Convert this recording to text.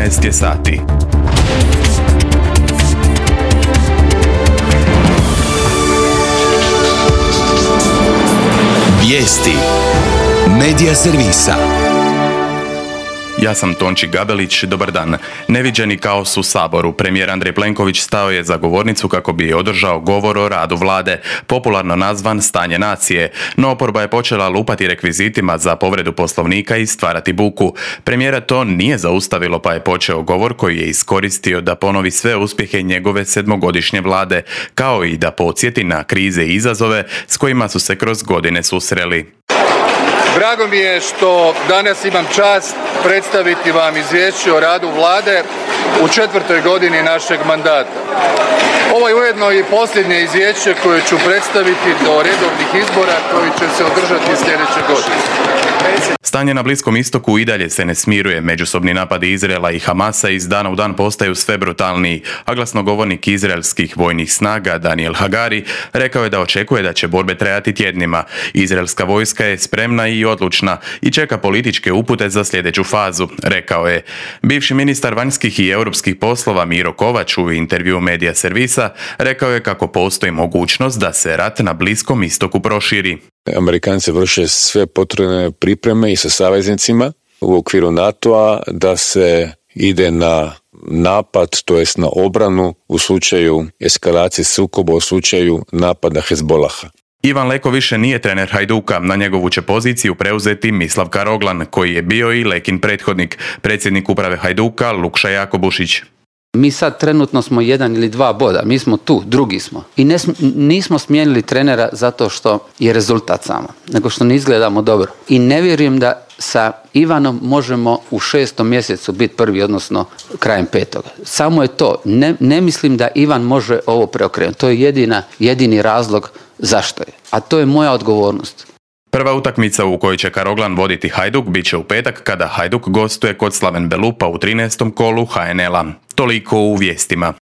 12 je sati. Vijesti Medija servisa. Ja sam Tonči Gabelić, dobar dan. Neviđeni kaos u Saboru. Premijer Andrej Plenković stao je za govornicu kako bi održao govor o radu vlade, popularno nazvan stanje nacije, no oporba je počela lupati rekvizitima za povredu poslovnika i stvarati buku. Premijera to nije zaustavilo pa je počeo govor koji je iskoristio da ponovi sve uspjehe njegove 7-godišnje vlade, kao i da podsjeti na krize i izazove s kojima su se kroz godine susreli. Drago mi je što danas imam čast predstaviti vam izvješće o radu vlade u 4. godini našeg mandata. Ovo je ujedno i posljednje izvješće koje ću predstaviti do redovnih izbora koji će se održati sljedeće godine. Stanje na Bliskom istoku i dalje se ne smiruje. Međusobni napadi Izraela i Hamasa iz dana u dan postaju sve brutalniji, a glasnogovornik izraelskih vojnih snaga Daniel Hagari rekao je da očekuje da će borbe trajati tjednima. Izraelska vojska je spremna i odlučna i čeka političke upute za sljedeću fazu, rekao je. Bivši ministar vanjskih i europskih poslova Miro Kovač u intervjuu Medija servisa rekao je kako postoji mogućnost da se rat na Bliskom istoku proširi. Amerikanci vrše sve potrebne pripreme i sa saveznicima u okviru NATO-a da se ide na napad, to jest na obranu u slučaju eskalacije sukoba, u slučaju napada Hezbolaha. Ivan Leko više nije trener Hajduka, na njegovu će poziciju preuzeti Mislav Karoglan, koji je bio i Lekin prethodnik, predsjednik uprave Hajduka Lukša Jakobušić. Mi sad trenutno smo 1 ili 2 boda, mi smo tu, drugi smo. I nismo smijenili trenera zato što je rezultat samo, nego što ne izgledamo dobro. I ne vjerujem da sa Ivanom možemo u 6. mjesecu biti prvi, odnosno krajem 5. Samo je to. Ne mislim da Ivan može ovo preokrenuti. To je jedini razlog zašto je. A to je moja odgovornost. Prva utakmica u kojoj će Karoglan voditi Hajduk bit će u petak kada Hajduk gostuje kod Slaven Belupa u 13. kolu HNL-a. Toliko u vijestima.